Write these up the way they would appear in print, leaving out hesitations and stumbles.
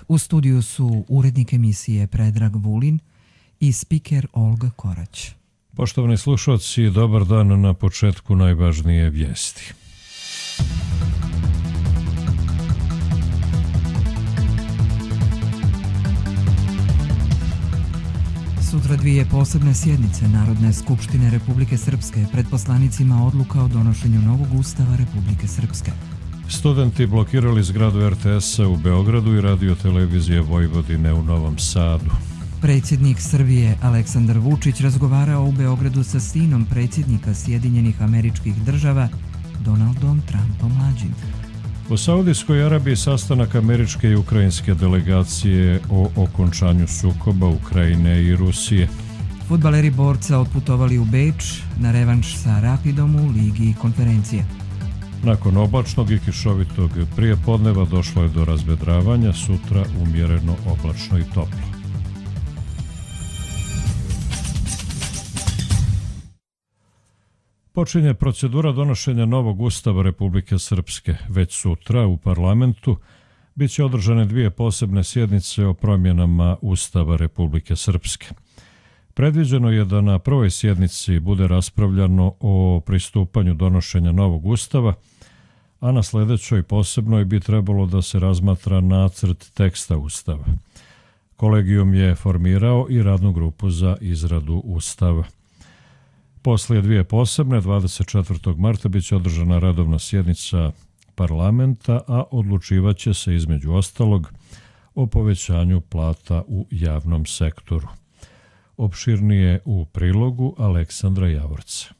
U studiju su urednik emisije Predrag Vulin i spiker Olga Korać. Poštovani slušalci, dobar dan. Na početku najvažnije vijesti. Sutra dvije posebne sjednice Narodne skupštine Republike Srpske pred poslanicima odluka o donošenju novog ustava Republike Srpske. Studenti blokirali zgradu RTS-a u Beogradu i Radio-televizije Vojvodine u Novom Sadu. Predsjednik Srbije Aleksandar Vučić razgovarao u Beogradu sa sinom predsjednika Sjedinjenih Američkih Država Donaldom Trumpom mlađim. U Saudijskoj Arabiji sastanak američke i ukrajinske delegacije o okončanju sukoba Ukrajine i Rusije. Fudbaleri Borca otputovali u Beč na revanš sa Rapidom u Ligi konferencije. Nakon oblačnog i kišovitog prijepodneva došlo je do razvedravanja, sutra umjereno oblačno i toplo. Počinje procedura donošenja novog ustava Republike Srpske. Već sutra u parlamentu bit će održane dvije posebne sjednice o promjenama Ustava Republike Srpske. Predviđeno je da na prvoj sjednici bude raspravljano o pristupanju donošenja novog ustava, a na sljedećoj posebnoj bi trebalo da se razmatra nacrt teksta ustava. Kolegijum je formirao i radnu grupu za izradu ustava. Poslije dvije posebne, 24. marta, bit će održana redovna sjednica parlamenta, a odlučivaće se između ostalog o povećanju plata u javnom sektoru. Opširnije u prilogu Aleksandra Javorca.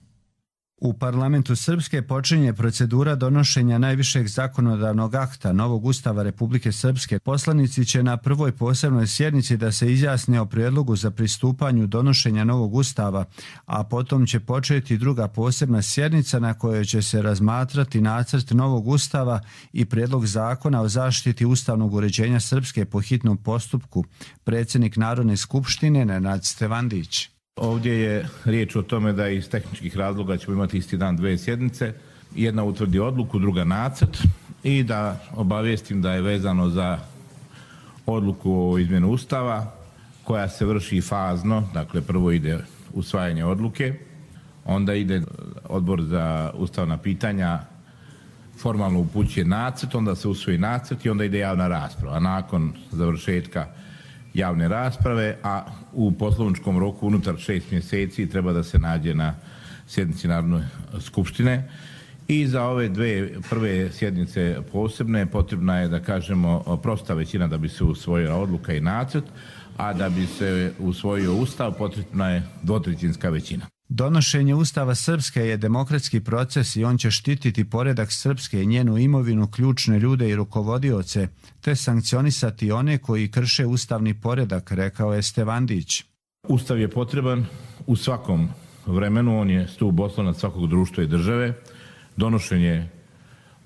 U parlamentu Srpske počinje procedura donošenja najvišeg zakonodavnog akta novog ustava Republike Srpske. Poslanici će na prvoj posebnoj sjednici da se izjasne o prijedlogu za pristupanju donošenja novog ustava, a potom će početi druga posebna sjednica na kojoj će se razmatrati nacrt novog ustava i prijedlog zakona o zaštiti ustavnog uređenja Srpske po hitnom postupku. Predsjednik Narodne skupštine Nenad Stevandić. Ovdje je riječ o tome da iz tehničkih razloga ćemo imati isti dan dvije sjednice. Jedna utvrdi odluku, druga nacrt, i da obavijestim da je vezano za odluku o izmjenu Ustava koja se vrši fazno. Dakle, prvo ide usvajanje odluke, onda ide Odbor za ustavna pitanja, formalno upućuje nacrt, onda se usvoji nacrt i onda ide javna rasprava. A nakon završetka javne rasprave, a u poslovničkom roku unutar 6 mjeseci treba da se nađe na sjednici Narodne skupštine. I za ove dve prve sjednice posebne potrebna je, da kažemo, prosta većina da bi se usvojila odluka i nacrt, a da bi se usvojio Ustav potrebna je dvotrećinska većina. Donošenje Ustava Srpske je demokratski proces i on će štititi poredak Srpske i njenu imovinu, ključne ljude i rukovodioce, te sankcionisati one koji krše ustavni poredak, rekao je Stevandić. Ustav je potreban u svakom vremenu, on je stup oslonac svakog društva i države. Donošenje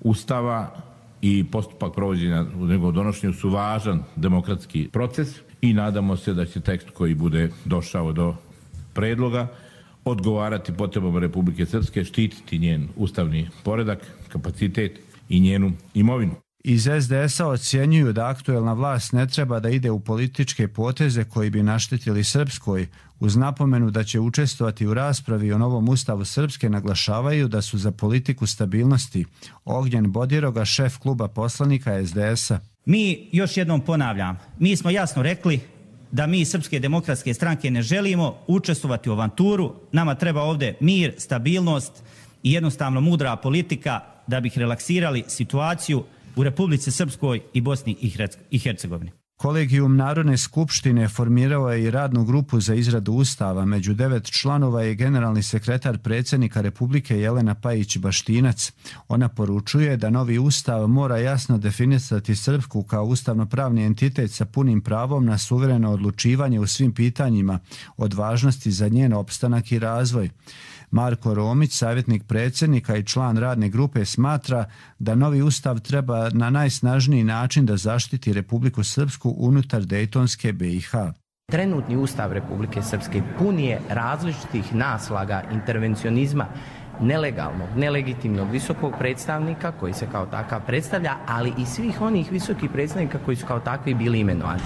Ustava i postupak provođenja u njegovom donošenju su važan demokratski proces i nadamo se da će tekst koji bude došao do predloga odgovarati potrebama Republike Srpske, štititi njen ustavni poredak, kapacitet i njenu imovinu. Iz SDS-a ocjenjuju da aktuelna vlast ne treba da ide u političke poteze koji bi naštetili Srpskoj. Uz napomenu da će učestvovati u raspravi o novom ustavu Srpske, naglašavaju da su za politiku stabilnosti. Ognjen Bodiroga, šef kluba poslanika SDS-a. Mi, još jednom ponavljam, mi smo jasno rekli da mi Srpske demokratske stranke ne želimo učestvovati u avanturu. Nama treba ovdje mir, stabilnost i jednostavno mudra politika da bi relaksirali situaciju u Republici Srpskoj i Bosni i Hercegovini. Kolegijum Narodne skupštine formirao je i radnu grupu za izradu ustava. Među 9 članova je generalni sekretar predsjednika Republike Jelena Pajić-Baštinac. Ona poručuje da novi ustav mora jasno definisati Srpsku kao ustavno-pravni entitet sa punim pravom na suvereno odlučivanje u svim pitanjima od važnosti za njen opstanak i razvoj. Marko Romić, savjetnik predsjednika i član radne grupe, smatra da novi ustav treba na najsnažniji način da zaštiti Republiku Srpsku unutar Dejtonske BiH. Trenutni ustav Republike Srpske pun je različitih naslaga intervencionizma nelegalnog, nelegitimnog visokog predstavnika koji se kao takav predstavlja, ali i svih onih visokih predstavnika koji su kao takvi bili imenovani.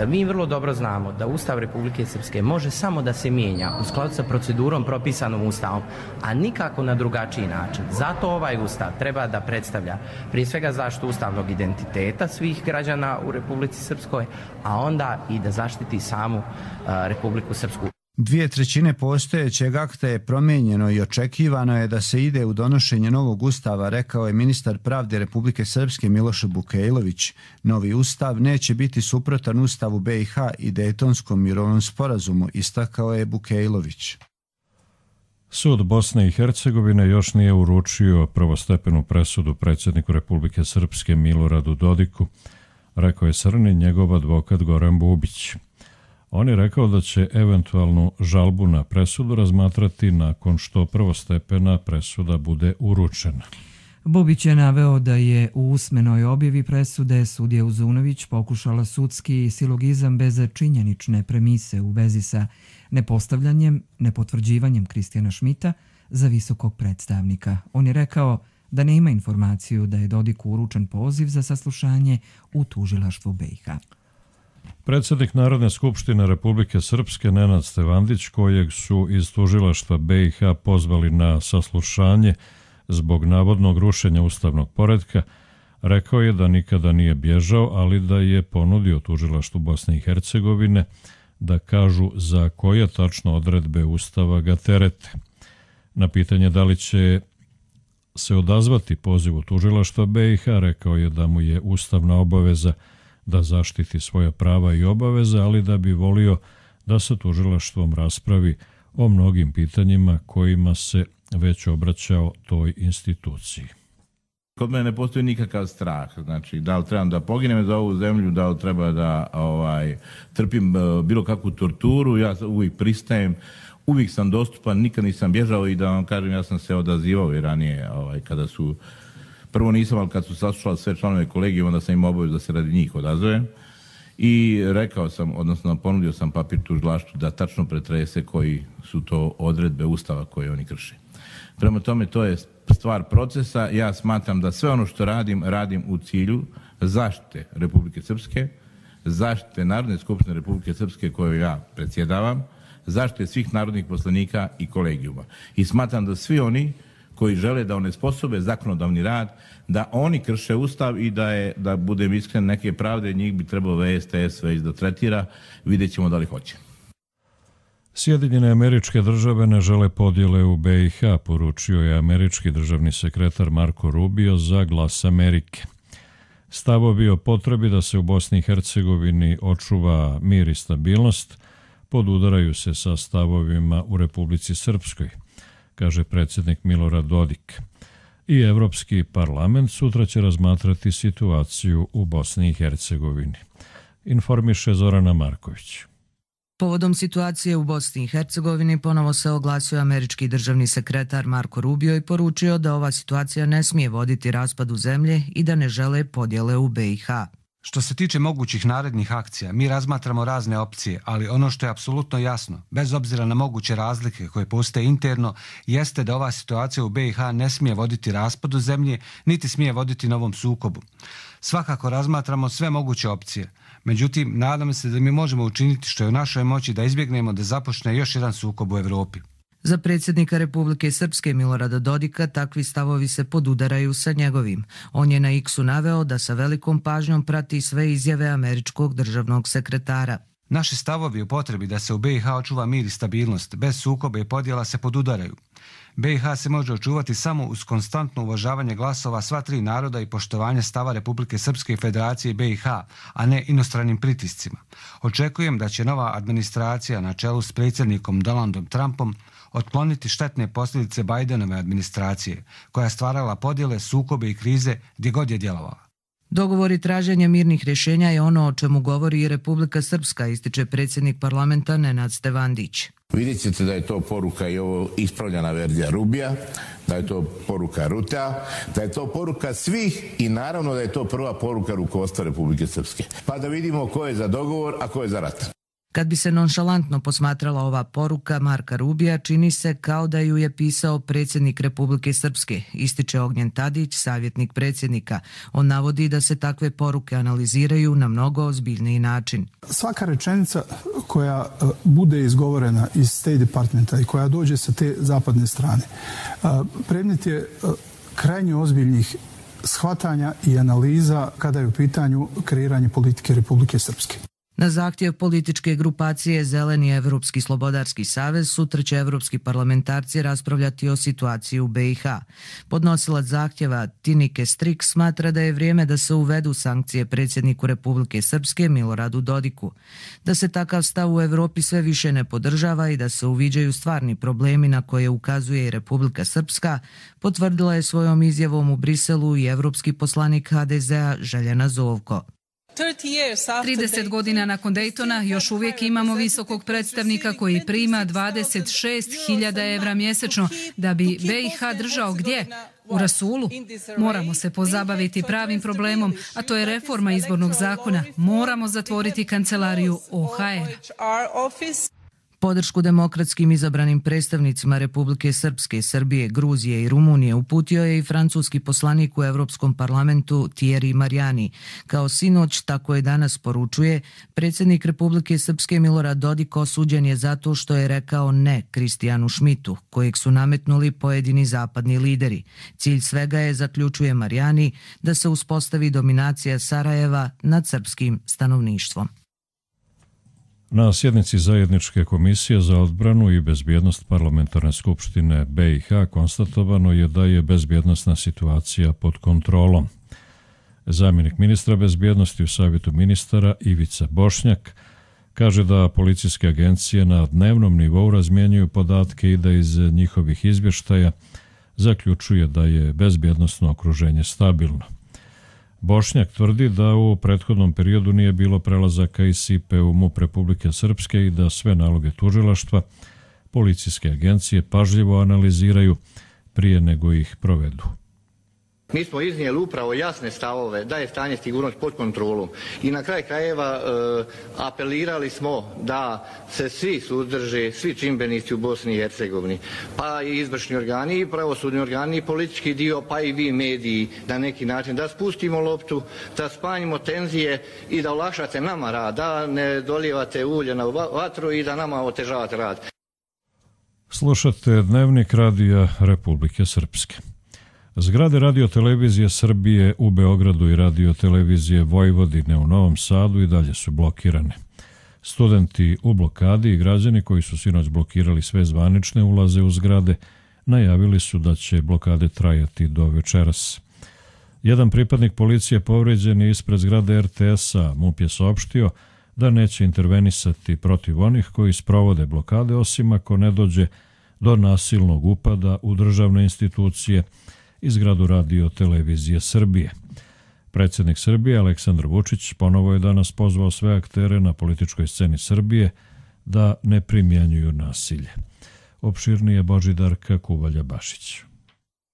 Mi vrlo dobro znamo da Ustav Republike Srpske može samo da se mijenja u skladu sa procedurom propisanom Ustavom, a nikako na drugačiji način. Zato ovaj Ustav treba da predstavlja prije svega zaštitu ustavnog identiteta svih građana u Republici Srpskoj, a onda i da zaštiti samu Republiku Srpsku. 2/3 postojećeg akta je promijenjeno i očekivano je da se ide u donošenje novog ustava, rekao je ministar pravde Republike Srpske Miloš Bukejlović. Novi ustav neće biti suprotan Ustavu BiH i Dejtonskom mirovnom sporazumu, istakao je Bukejlović. Sud Bosne i Hercegovine još nije uručio prvostepenu presudu predsjedniku Republike Srpske Miloradu Dodiku, rekao je Srni njegov advokat Goran Bubić. On je rekao da će eventualnu žalbu na presudu razmatrati nakon što prvostepena presuda bude uručena. Bubić je naveo da je u usmenoj objavi presude sudija Uzunović pokušala sudski silogizam bez činjenične premise u vezi sa nepostavljanjem, nepotvrđivanjem Kristijana Šmita za visokog predstavnika. On je rekao da nema informaciju da je Dodiku uručen poziv za saslušanje u tužilaštvu BiH. Predsjednik Narodne skupštine Republike Srpske Nenad Stevandić, kojeg su iz tužilaštva BiH pozvali na saslušanje zbog navodnog rušenja ustavnog poretka, rekao je da nikada nije bježao, ali da je ponudio tužilaštvu Bosne i Hercegovine da kažu za koje tačno odredbe Ustava ga terete. Na pitanje da li će se odazvati pozivu tužilaštva BiH, rekao je da mu je ustavna obaveza da zaštiti svoja prava i obaveze, ali da bi volio da se tužilaštvom raspravi o mnogim pitanjima kojima se već obraćao toj instituciji. Kod mene ne postoji nikakav strah, znači da li trebam da poginem za ovu zemlju, da li treba da trpim bilo kakvu torturu, ja uvijek pristajem, uvijek sam dostupan, nikad nisam bježao i da vam kažem, ja sam se odazivao i ranije kada su, prvo nisam, ali kad su saslušali sve članove kolegije, onda sam im obavezao da se radi njih odazovem i rekao sam, odnosno ponudio sam papir tužilaštvu da tačno pretrese koji su to odredbe Ustava koje oni krše. Prema tome, to je stvar procesa. Ja smatram da sve ono što radim u cilju zaštite Republike Srpske, zaštite Narodne skupštine Republike Srpske koju ja predsjedavam, zaštite svih narodnih poslanika i kolegijuma. I smatram da svi oni koji žele da onesposobe zakonodavni rad, da oni krše Ustav i da budem iskren, neke pravde njih bi trebalo VSTS već da tretira, vidjet ćemo da li hoće. Sjedinjene Američke Države ne žele podjele u BiH, poručio je američki državni sekretar Marko Rubio za Glas Amerike. Stavovi o potrebi da se u Bosni i Hercegovini očuva mir i stabilnost podudaraju se sa stavovima u Republici Srpskoj, kaže predsjednik Milorad Dodik. I Evropski parlament sutra će razmatrati situaciju u Bosni i Hercegovini. Informiše Zorana Marković. Povodom situacije u Bosni i Hercegovini ponovo se oglasio američki državni sekretar Marko Rubio i poručio da ova situacija ne smije voditi raspadu zemlje i da ne žele podjele u BiH. Što se tiče mogućih narednih akcija, mi razmatramo razne opcije, ali ono što je apsolutno jasno, bez obzira na moguće razlike koje postoje interno, jeste da ova situacija u BiH ne smije voditi raspadu zemlje, niti smije voditi novom sukobu. Svakako razmatramo sve moguće opcije. Međutim, nadam se da mi možemo učiniti što je u našoj moći da izbjegnemo da započne još jedan sukob u Evropi. Za predsjednika Republike Srpske Milorada Dodika takvi stavovi se podudaraju sa njegovim. On je na X-u naveo da sa velikom pažnjom prati sve izjave američkog državnog sekretara. Naši stavovi o potrebi da se u BiH očuva mir i stabilnost, bez sukoba i podjela se podudaraju. BiH se može očuvati samo uz konstantno uvažavanje glasova sva tri naroda i poštovanje stava Republike Srpske i Federacije BiH, a ne inostranim pritiscima. Očekujem da će nova administracija na čelu s predsjednikom Donaldom Trumpom otkloniti štetne posljedice Bidenove administracije, koja je stvarala podjele, sukobe i krize gdje god je djelovala. Dogovor i traženje mirnih rješenja je ono o čemu govori i Republika Srpska, ističe predsjednik parlamenta Nenad Stevandić. Vidjet ćete da je to poruka i ovo ispravljena verzija Rubija, da je to poruka Rutea, da je to poruka svih i naravno da je to prva poruka rukovodstva Republike Srpske. Pa da vidimo ko je za dogovor, a ko je za rat. Kad bi se nonšalantno posmatrala ova poruka Marka Rubija, čini se kao da ju je pisao predsjednik Republike Srpske, ističe Ognjen Tadić, savjetnik predsjednika. On navodi da se takve poruke analiziraju na mnogo ozbiljniji način. Svaka rečenica koja bude izgovorena iz State Departmenta i koja dođe sa te zapadne strane, predmet je krajnje ozbiljnih shvatanja i analiza kada je u pitanju kreiranje politike Republike Srpske. Na zahtjev političke grupacije Zeleni Evropski slobodarski savez sutra će evropski parlamentarci raspravljati o situaciji u BiH. Podnosilac zahtjeva Tinike Strik smatra da je vrijeme da se uvedu sankcije predsjedniku Republike Srpske Miloradu Dodiku, da se takav stav u Evropi sve više ne podržava i da se uviđaju stvarni problemi na koje ukazuje i Republika Srpska, potvrdila je svojom izjavom u Briselu i evropski poslanik HDZ-a Željana Zovko. 30 godina nakon Daytona još uvijek imamo visokog predstavnika koji prima 26.000 evra mjesečno da bi BiH držao gdje? U rasulu. Moramo se pozabaviti pravim problemom, a to je reforma izbornog zakona. Moramo zatvoriti kancelariju OHR. Podršku demokratskim izabranim predstavnicima Republike Srpske, Srbije, Gruzije i Rumunije uputio je i francuski poslanik u Evropskom parlamentu Thierry Mariani. Kao sinoć, tako je danas poručuje, predsjednik Republike Srpske Milorad Dodik osuđen je zato što je rekao ne Kristijanu Šmitu, kojeg su nametnuli pojedini zapadni lideri. Cilj svega je, zaključuje Mariani, da se uspostavi dominacija Sarajeva nad srpskim stanovništvom. Na sjednici Zajedničke komisije za odbranu i bezbjednost Parlamentarne skupštine BiH konstatovano je da je bezbjednosna situacija pod kontrolom. Zamjenik ministra bezbjednosti u Savjetu ministara Ivica Bošnjak kaže da policijske agencije na dnevnom nivou razmjenjuju podatke i da iz njihovih izvještaja zaključuje da je bezbjednosno okruženje stabilno. Bošnjak tvrdi da u prethodnom periodu nije bilo prelazaka iz Sipe u MUP Republike Srpske i da sve naloge tužilaštva policijske agencije pažljivo analiziraju prije nego ih provedu. Mi smo iznijeli upravo jasne stavove da je stanje sigurnosti pod kontrolom i na kraj krajeva apelirali smo da se svi suzdrže, svi čimbenici u Bosni i Hercegovini, pa i izvršni organi, i pravosudni organi, i politički dio, pa i vi mediji na neki način, da spustimo loptu, da smanjimo tenzije i da olakšate nama rad, da ne dolijevate ulje na vatru i da nama otežavate rad. Slušate Dnevnik radija Republike Srpske. Zgrade radiotelevizije Srbije u Beogradu i radiotelevizije Vojvodine u Novom Sadu i dalje su blokirane. Studenti u blokadi i građani koji su sinoć blokirali sve zvanične ulaze u zgrade najavili su da će blokade trajati do večeras. Jedan pripadnik policije povređen je ispred zgrade RTS-a. MUP je saopštio da neće intervenisati protiv onih koji sprovode blokade, osim ako ne dođe do nasilnog upada u državne institucije i zgradu radiotelevizije Srbije. Predsjednik Srbije Aleksandar Vučić ponovo je danas pozvao sve aktere na političkoj sceni Srbije da ne primjenjuju nasilje. Opširnije Božidarka Kuvalja-Bašić.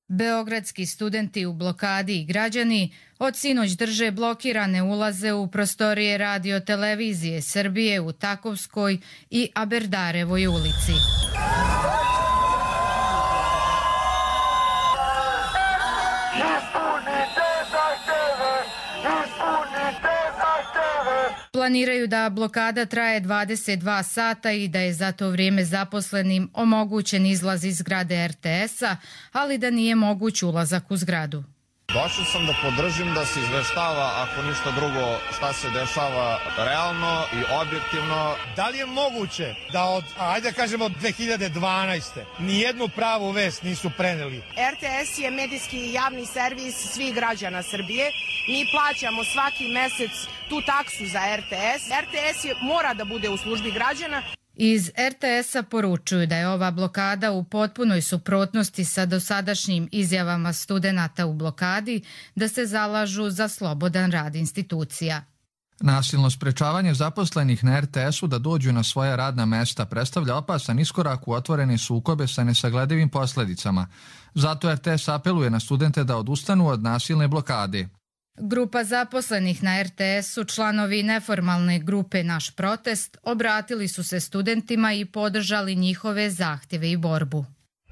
Beogradski studenti u blokadi i građani od sinoć drže blokirane ulaze u prostorije radiotelevizije Srbije u Takovskoj i Aberdarevoj ulici. Planiraju da blokada traje 22 sata i da je za to vrijeme zaposlenim omogućen izlaz iz zgrade RTS-a, ali da nije moguć ulazak u zgradu. Došao sam da podržim da se izveštava, ako ništa drugo, šta se dešava realno i objektivno. Da li je moguće da od, ajde kažemo, 2012. nijednu pravu vest nisu preneli? RTS je medijski javni servis svih građana Srbije. Mi plaćamo svaki mesec tu taksu za RTS. RTS mora da bude u službi građana. Iz RTS-a poručuju da je ova blokada u potpunoj suprotnosti sa dosadašnjim izjavama studenata u blokadi da se zalažu za slobodan rad institucija. Nasilno sprečavanje zaposlenih na RTS-u da dođu na svoja radna mesta predstavlja opasan iskorak u otvorene sukobe sa nesagledivim posljedicama. Zato RTS apeluje na studente da odustanu od nasilne blokade. Grupa zaposlenih na RTS-u, članovi neformalne grupe Naš protest, obratili su se studentima i podržali njihove zahtjeve i borbu.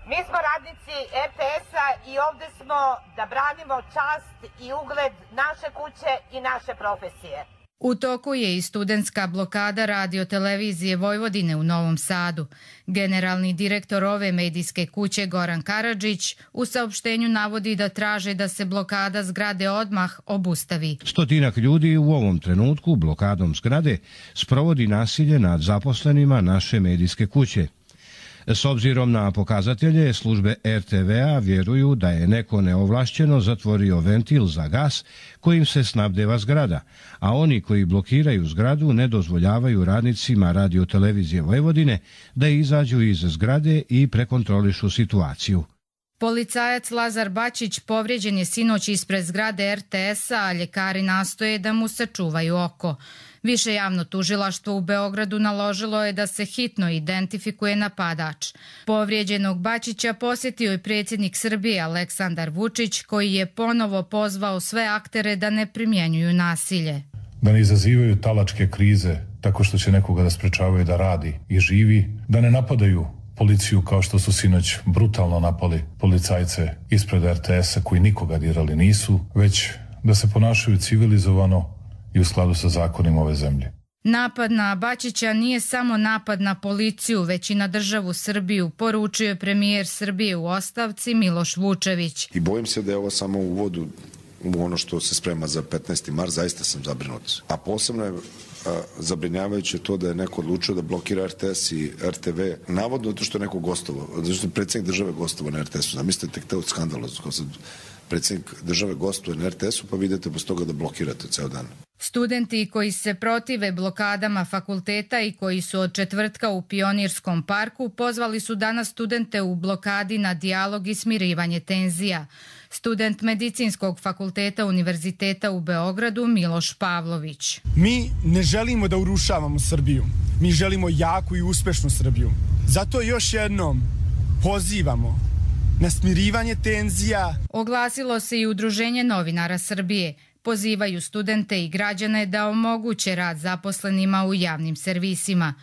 Mi smo radnici RTS-a i ovdje smo da branimo čast i ugled naše kuće i naše profesije. U toku je i studentska blokada Radio-televizije Vojvodine u Novom Sadu. Generalni direktor ove medijske kuće Goran Karadžić u saopštenju navodi da traže da se blokada zgrade odmah obustavi. 100 ljudi u ovom trenutku blokadom zgrade sprovodi nasilje nad zaposlenima naše medijske kuće. S obzirom na pokazatelje, službe RTV-a vjeruju da je neko neovlašćeno zatvorio ventil za gas kojim se snabdeva zgrada, a oni koji blokiraju zgradu ne dozvoljavaju radnicima Radio-televizije Vojvodine da izađu iz zgrade i prekontrolišu situaciju. Policajac Lazar Bačić povrijeđen je sinoć ispred zgrade RTS-a, a ljekari nastoje da mu sačuvaju oko. Više javno tužilaštvo u Beogradu naložilo je da se hitno identifikuje napadač. Povrijeđenog Bačića posjetio je predsjednik Srbije Aleksandar Vučić, koji je ponovo pozvao sve aktere da ne primjenjuju nasilje. Da ne izazivaju talačke krize tako što će nekoga da sprečavaju da radi i živi, da ne napadaju policiju kao što su sinoć brutalno napali policajce ispred RTS-a koji nikoga dirali nisu, već da se ponašaju civilizovano i u skladu sa zakonima ove zemlje. Napad na Bačića nije samo napad na policiju, već i na državu Srbiju, poručio je premijer Srbije u ostavci Miloš Vučević. I bojim se da je ovo samo uvod u ono što se sprema za 15. mart, zaista sam zabrinut. A posebno je zabrinjavajuće to da je neko odlučio da blokira RTS i RTV, navodno zato što je neko gostovao, zato što je predsjednik države gostovao na RTS-u. Zamislite tek te od skandalozno, kao sad predsjednik države gostuje na RTS-u, pa vidite bez toga da blokirate ceo dan. Studenti koji se protive blokadama fakulteta i koji su od četvrtka u Pionirskom parku pozvali su danas studente u blokadi na dijalog i smirivanje tenzija. Student Medicinskog fakulteta Univerziteta u Beogradu Miloš Pavlović. Mi ne želimo da urušavamo Srbiju. Mi želimo jaku i uspešnu Srbiju. Zato još jednom pozivamo na smirivanje tenzija. Oglasilo se i Udruženje novinara Srbije. Pozivaju studente i građane da omoguće rad zaposlenima u javnim servisima.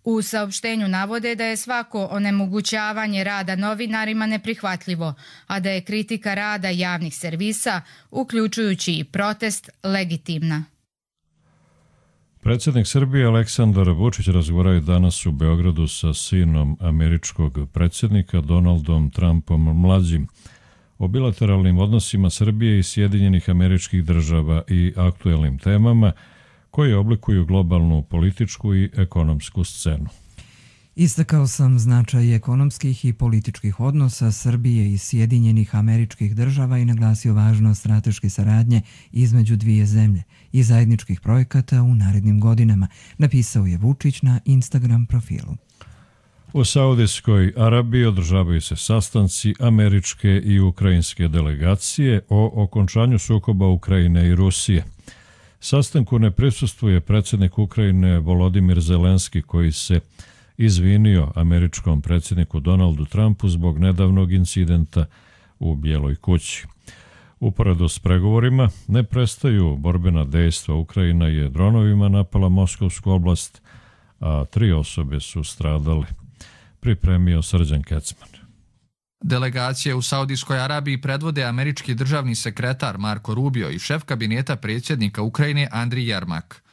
U saopštenju navode da je svako onemogućavanje rada novinarima neprihvatljivo, a da je kritika rada javnih servisa, uključujući i protest, legitimna. Predsjednik Srbije Aleksandar Vučić razgovarao je danas u Beogradu sa sinom američkog predsjednika Donaldom Trumpom mlađim o bilateralnim odnosima Srbije i Sjedinjenih Američkih Država i aktuelnim temama koje oblikuju globalnu političku i ekonomsku scenu. Istakao sam značaj ekonomskih i političkih odnosa Srbije i Sjedinjenih Američkih Država i naglasio važnost strateške saradnje između dvije zemlje i zajedničkih projekata u narednim godinama, napisao je Vučić na Instagram profilu. U Saudijskoj Arabiji održavaju se sastanci američke i ukrajinske delegacije o okončanju sukoba Ukrajine i Rusije. Sastanku ne prisustvuje predsjednik Ukrajine Volodimir Zelenski, koji se izvinio američkom predsjedniku Donaldu Trumpu zbog nedavnog incidenta u Bijeloj kući. Uporedo s pregovorima ne prestaju borbena dejstva. Ukrajina je dronovima napala Moskovsku oblast, a 3 osobe su stradale. Pripremio Srđan Kecman. Delegacije u Saudijskoj Arabiji predvode američki državni sekretar Marko Rubio i šef kabineta predsjednika Ukrajine Andrij Jermak.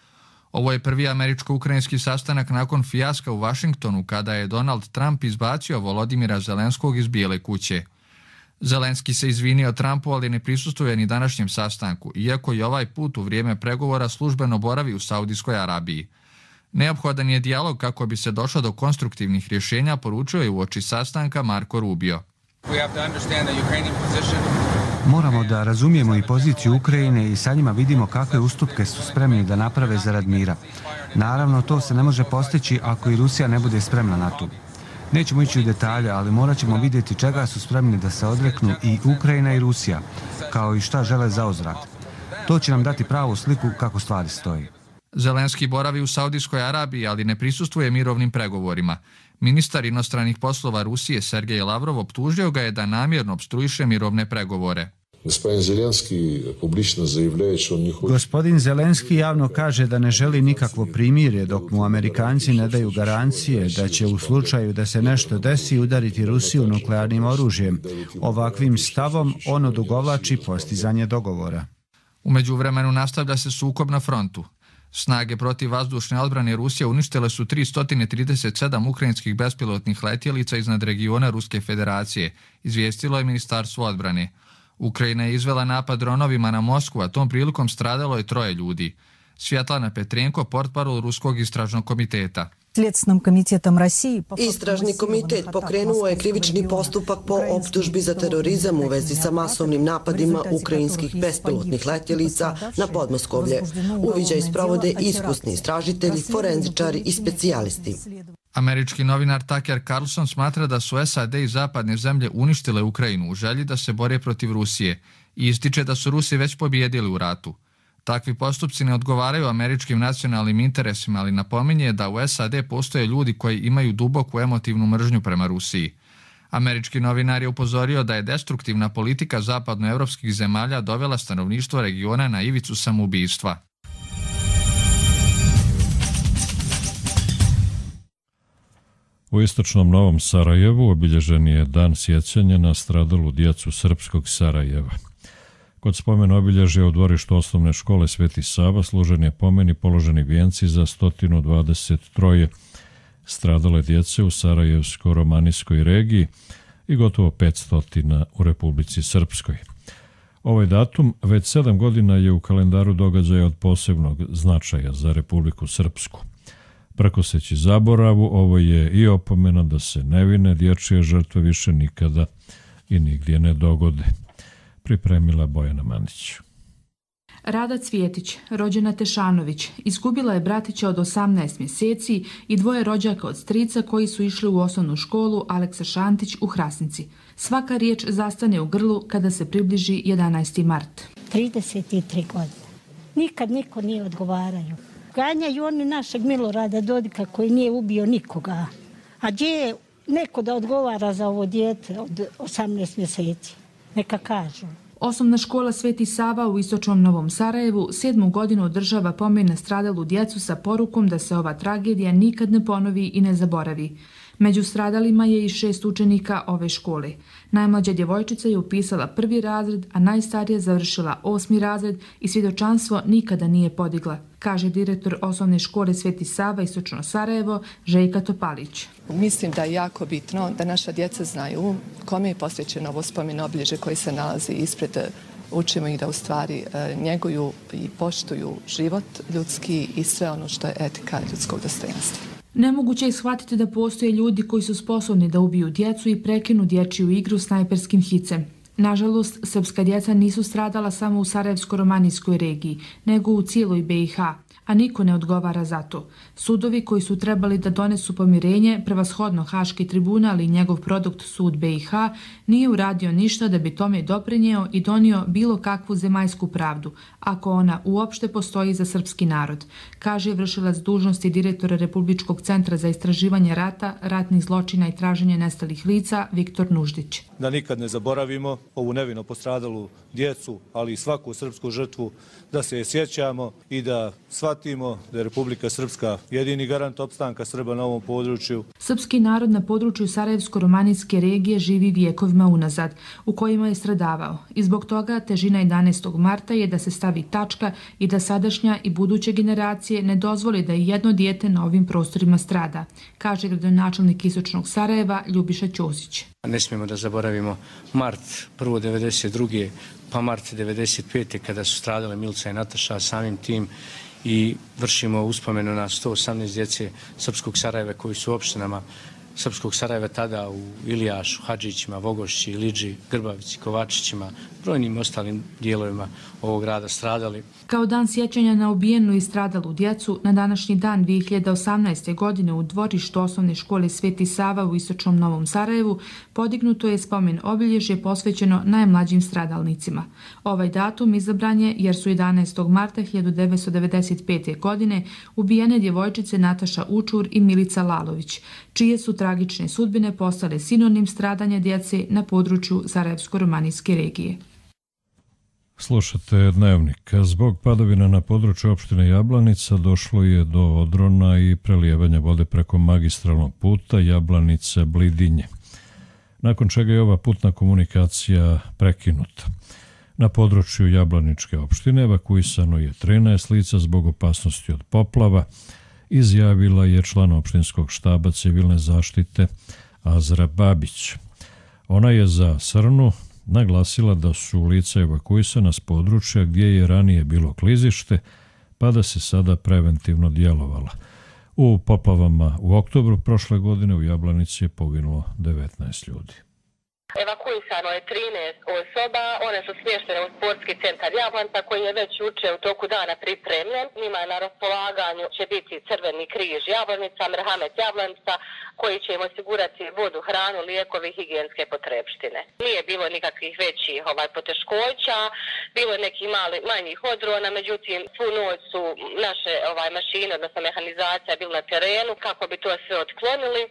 Ovo je prvi američko-ukrajinski sastanak nakon fijaska u Vašingtonu kada je Donald Trump izbacio Volodimira Zelenskog iz Bijele kuće. Zelenski se izvinio Trumpu, ali ne prisustvuje ni današnjem sastanku, iako je ovaj put u vrijeme pregovora službeno boravi u Saudijskoj Arabiji. Neophodan je dijalog kako bi se došlo do konstruktivnih rješenja, poručio je uoči sastanka Marko Rubio. Moramo da razumijemo i poziciju Ukrajine i sa njima vidimo kakve ustupke su spremni da naprave zarad mira. Naravno, to se ne može postići ako i Rusija ne bude spremna na to. Nećemo ići u detalje, ali morat ćemo vidjeti čega su spremni da se odreknu i Ukrajina i Rusija, kao i šta žele zauzvrat. To će nam dati pravu sliku kako stvari stoji. Zelenski boravi u Saudijskoj Arabiji, ali ne prisustvuje mirovnim pregovorima. Ministar inostranih poslova Rusije Sergej Lavrov optužio ga je da namjerno opstruiše mirovne pregovore. Gospodin Zelenski javno kaže da ne želi nikakvo primirje dok mu Amerikanci ne daju garancije da će u slučaju da se nešto desi udariti Rusiju nuklearnim oružjem. Ovakvim stavom on odugovlači postizanje dogovora. U međuvremenu nastavlja se sukob na frontu. Snage protivvazdušne odbrane Rusije uništile su 337 ukrajinskih bespilotnih letjelica iznad regiona Ruske federacije, izvijestilo je Ministarstvo odbrane. Ukrajina je izvela napad dronovima na Moskvu, a tom prilikom stradalo je 3 ljudi. Svjetlana Petrenko, portparol Ruskog istražnog komiteta. Istražni komitet pokrenuo je krivični postupak po optužbi za terorizam u vezi sa masovnim napadima ukrajinskih bespilotnih letjelica na Podmoskovlje. Uviđaj sprovode iskusni istražitelji, forenzičari i specijalisti. Američki novinar Tucker Carlson smatra da su SAD i zapadne zemlje uništile Ukrajinu u želji da se bore protiv Rusije i ističe da su Rusi već pobijedili u ratu. Takvi postupci ne odgovaraju američkim nacionalnim interesima, ali napominje da u SAD postoje ljudi koji imaju duboku emotivnu mržnju prema Rusiji. Američki novinar je upozorio da je destruktivna politika zapadnoevropskih zemalja dovela stanovništvo regiona na ivicu samoubistva. U istočnom Novom Sarajevu obilježen je dan sjećanja na stradalu djecu srpskog Sarajeva. Kod spomen obilježja u dvorištu osnovne škole Sveti Sava služen je pomen i položeni vijenci za 123 stradale djece u Sarajevsko-romanijskoj regiji i gotovo 500 u Republici Srpskoj. Ovaj datum već 7 godina je u kalendaru događaja od posebnog značaja za Republiku Srpsku. Prkoseći zaboravu, ovo je i opomena da se nevine dječje žrtve više nikada i nigdje ne dogode. Pripremila Bojana Mandić. Rada Cvjetić, rođena Tešanović, izgubila je bratića od 18 mjeseci i 2 rođaka od strica koji su išli u osnovnu školu Aleksa Šantić u Hrasnici. Svaka riječ zastane u grlu kada se približi 11. mart. 33 godine. Nikad niko nije odgovaraju. Ganjaju oni našeg Milorada Dodika koji nije ubio nikoga. A gdje je neko da odgovara za ovo dijete od 18 mjeseci? Neka kažu. Osnovna škola Sveti Sava u istočnom Novom Sarajevu 7. godinu održava pomen na stradalu djecu sa porukom da se ova tragedija nikad ne ponovi i ne zaboravi. Među stradalima je i 6 učenika ove škole. Najmlađa djevojčica je upisala 1. razred, a najstarija završila 8. razred i svjedočanstvo nikada nije podigla, kaže direktor osnovne škole Sveti Sava istočno Sarajevo, Željka Topalić. Mislim da je jako bitno da naša djeca znaju kome je posvećeno ovo spomen obilježje koji se nalazi ispred. Učimo ih da u stvari njeguju i poštuju život ljudski i sve ono što je etika ljudskog dostojanstva. Nemoguće je shvatiti da postoje ljudi koji su sposobni da ubiju djecu i prekinu dječju igru snajperskim hicem. Nažalost, srpska djeca nisu stradala samo u Sarajevsko-romanijskoj regiji, nego u cijeloj BiH, a niko ne odgovara za to. Sudovi koji su trebali da donesu pomirenje, prevashodno Haški tribunal i njegov produkt sud BiH, nije uradio ništa da bi tome doprinjeo i donio bilo kakvu zemaljsku pravdu, ako ona uopšte postoji za srpski narod, kaže vršilac dužnosti direktora Republičkog centra za istraživanje rata, ratnih zločina i traženje nestalih lica Viktor Nuždić. Da nikad ne zaboravimo ovu nevino postradalu djecu, ali i svaku srpsku žrtvu, da se je sjećamo i da shvatimo da je Republika Srpska jedini garant opstanka Srba na ovom području. Srpski narod na području Sarajevsko-romanijske regije živi vijekovima unazad, u kojima je stradavao. I zbog toga težina 11. marta je da se stavi tačka i da sadašnja i buduće generacije ne dozvoli da i jedno dijete na ovim prostorima strada, kaže gradonačelnik istočnog Sarajeva Ljubiša Ćosić. Ne smijemo da zaboravimo mart prvo 92. pa mart 95. kada su stradale Milica i Nataša, samim tim i vršimo uspomenu na 118 djece Srpskog Sarajeva koji su u opštinama Srpskog Sarajeva tada u Ilijašu, Hadžićima, Vogošći, Iliđi, Grbavici, Kovačićima, brojnim ostalim dijelovima ovog grada stradali. Kao dan sjećanja na ubijenu i stradalu djecu, na današnji dan 2018. godine u dvorištu osnovne škole Sveti Sava u istočnom Novom Sarajevu podignuto je spomen obilježje posvećeno najmlađim stradalnicima. Ovaj datum izabran je jer su 11. marta 1995. godine ubijene djevojčice Nataša Učur i Milica Lalović, čije su tragične sudbine postale sinonim stradanja djece na području Sarajevsko-romanijske regije. Slušate Dnevnik. Zbog padavina na području opštine Jablanica došlo je do odrona i prelijevanja vode preko magistralnog puta Jablanica-Blidinje, nakon čega je ova putna komunikacija prekinuta. Na području Jablaničke opštine evakuisano je 13 lica zbog opasnosti od poplava, izjavila je član opštinskog štaba civilne zaštite Azra Babić. Ona je za Srnu naglasila da su lica evakuisana s područja gdje je ranije bilo klizište, pa da se sada preventivno djelovala. U poplavama u oktobru prošle godine u Jablanici je poginulo 19 ljudi. Evakuisano je 13 osoba, one su smještene u sportski centar Jablanca koji je već jučer u toku dana pripremljen. Njima je na raspolaganju će biti Crveni križ Jablanica, Merhamet Jablanca koji će im osigurati vodu, hranu, lijekovi i higijenske potrepštine. Nije bilo nikakvih većih poteškoća, bilo je nekih manjih odrona, međutim svu noć su naše mašine, odnosno mehanizacija bila na terenu kako bi to sve otklonili.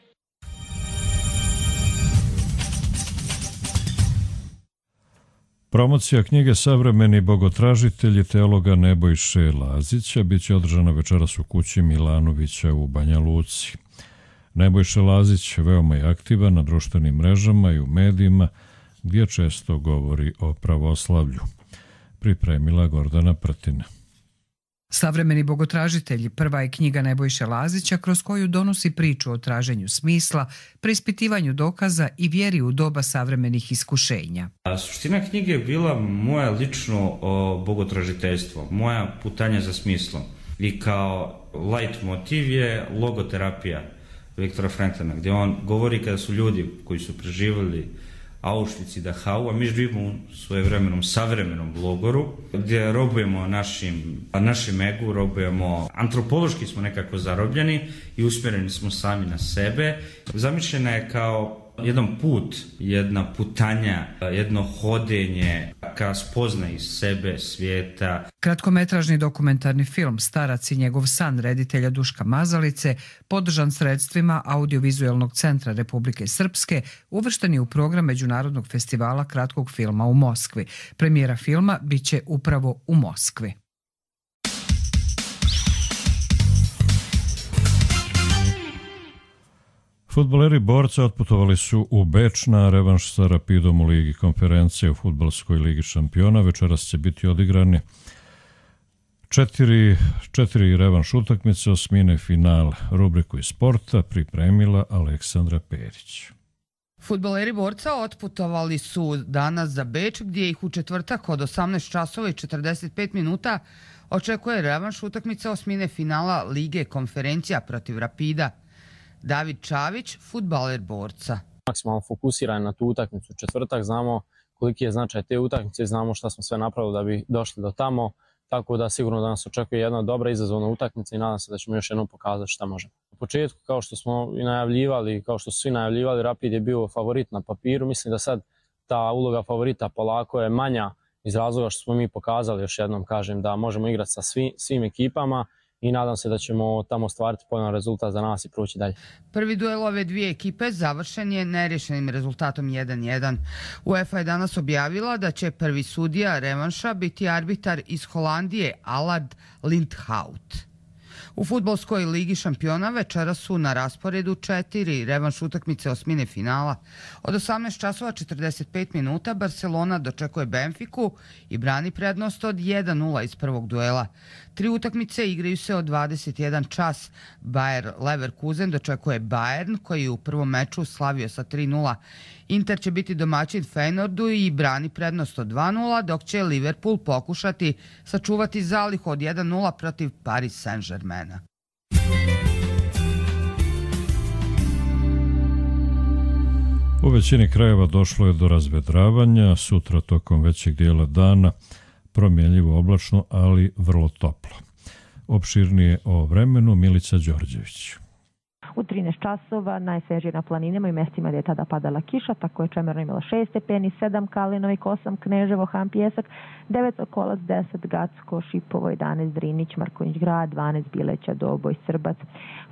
Promocija knjige Savremeni bogotražitelji teologa Nebojše Lazića biće održana večeras u kući Milanovića u Banja Luci. Nebojša Lazić veoma je aktivan na društvenim mrežama i u medijima gdje često govori o pravoslavlju. Pripremila Gordana Prtina. Savremeni bogotražitelji prva je knjiga Nebojše Lazića kroz koju donosi priču o traženju smisla, preispitivanju dokaza i vjeri u doba savremenih iskušenja. Suština knjige je bila moje lično bogotražiteljstvo, moja putanja za smislom. I kao light motiv je logoterapija Viktora Franklina, gdje on govori kada su ljudi koji su preživjeli Auschwitz i Dachau, a mi živimo u svojevremenom savremenom logoru, gdje robujemo našem egu, robujemo, antropološki smo nekako zarobljeni i usmjereni smo sami na sebe. Zamišljena je kao jedan put, jedna putanja, jedno hodenje ka spoznaji sebe, svijeta. Kratkometražni dokumentarni film Starac i njegov san reditelja Duška Mazalice, podržan sredstvima Audiovizualnog centra Republike Srpske, uvršten je u program Međunarodnog festivala kratkog filma u Moskvi. Premijera filma biće upravo u Moskvi. Fudbaleri Borca otputovali su u Beč na revanš sa Rapidom u Ligi konferencije u Fudbalskoj ligi šampiona. Večeras će biti odigrani četiri revanš utakmice, osmine finale. Rubriku iz sporta pripremila Aleksandra Perić. Fudbaleri Borca otputovali su danas za Beč, gdje ih u četvrtak od 18 časova i 45 minuta očekuje revanš utakmice osmine finala Lige konferencija protiv Rapida. David Čavić, fudbaler Borca. Maksimalno fokusiran na tu utakmicu četvrtak, znamo koliki je značaj te utakmice, znamo šta smo sve napravili da bi došli do tamo, tako da sigurno da nas očekuje jedna dobra izazovna utakmica i nadam se da ćemo još jednom pokazati šta možemo. U početku, kao što smo i najavljivali, kao što su svi najavljivali, Rapid je bio favorit na papiru. Mislim da sad ta uloga favorita polako je manja iz razloga što smo mi pokazali, još jednom kažem, da možemo igrati sa svim ekipama i nadam se da ćemo tamo ostvariti povoljan rezultat za nas i proći dalje. Prvi duel ove dvije ekipe završen je nerješenim rezultatom 1-1. UEFA je danas objavila da će prvi sudija revanša biti arbitar iz Holandije Allard Lindhout. U Fudbalskoj ligi šampiona večera su na rasporedu 4 revanš utakmice osmine finala. Od 18 časova 45 minuta Barcelona dočekuje Benfiku i brani prednost od 1-0 iz prvog duela. 3 utakmice igraju se od 21 čas. Bayer Leverkusen dočekuje Bayern koji je u prvom meču slavio sa 3-0. Inter će biti domaćin Feyenoordu i brani prednost od 2-0, dok će Liverpool pokušati sačuvati zalihu od 1-0 protiv Paris Saint-Germaina. U većini krajeva došlo je do razvedravanja, sutra tokom većeg dijela dana promjenljivo oblačno, ali vrlo toplo. Opširnije o vremenu Milica Đorđević. U 13 časova najsvežije na planinama i mestima gdje je tada padala kiša, tako je Čemerno imala 6 stepeni, 7 Kalinovik, 8 Kneževo, Han Pjesak, 9 Sokolac, 10 Gacko, Šipovo, 11 Drinić, Marković Grad, 12 Bileća, Doboj, Srbac,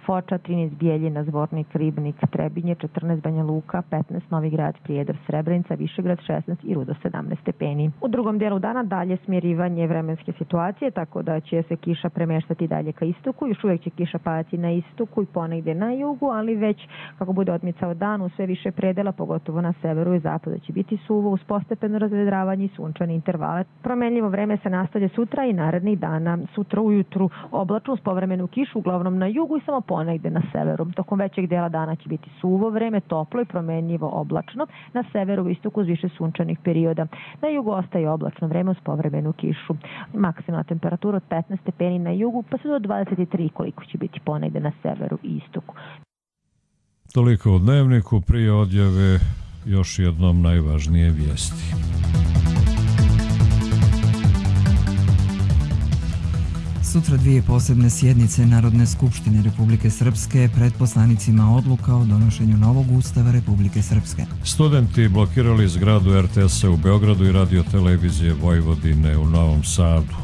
Foča, 13 Bijeljina, Zvornik, Ribnik, Trebinje, 14 Banja Luka, 15 Novi Grad, Prijedor, Srebrenica, Višegrad, 16 i Rudo, 17 stepeni. U drugom dijelu dana dalje smirivanje vremenske situacije, tako da će se kiša premeštati dalje ka istoku. Još uvijek će kiša padati na istoku i ponegdje na jugu, ali već kako bude odmicao dan u sve više predela, pogotovo na severu i zapadu će biti suvo uz postepeno razvedravanje i sunčane intervale. Promenljivo vreme se nastavlja sutra i narednih dana. Sutra ujutru oblačno uz povremenu kišu, uglavnom na jugu i samo ponegdje na severu. Tokom većeg dela dana će biti suvo vreme, toplo i promenljivo oblačno. Na severu i istoku uz više sunčanih perioda. Na jugu ostaje oblačno vreme uz povremenu kišu. Maksimalna temperatura od 15 stepeni na jugu pa se do 23 koliko će biti ponegdje na severu i istoku. Toliko u Dnevniku, prije odjave još jednom najvažnije vijesti. Sutra dvije posebne sjednice Narodne skupštine Republike Srpske pred poslanicima odluka o donošenju novog ustava Republike Srpske. Studenti blokirali zgradu RTS-a u Beogradu i Radio televizije Vojvodine u Novom Sadu.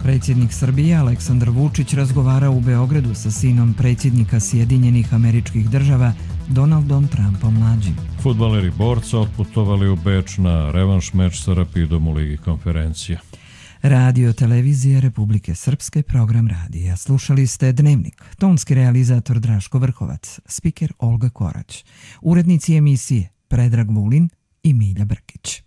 Predsjednik Srbije Aleksandar Vučić razgovarao u Beogradu sa sinom predsjednika Sjedinjenih Američkih Država Donaldom Trumpom mlađim. Fudbaleri Borca otputovali u Beč na revanš meč sa Rapidom u Ligi konferencija. Radio televizije Republike Srpske, program radija. Slušali ste Dnevnik. Tonski realizator Draško Vrhovac, spiker Olga Korać. Urednici emisije Predrag Vulin i Milja Brkić.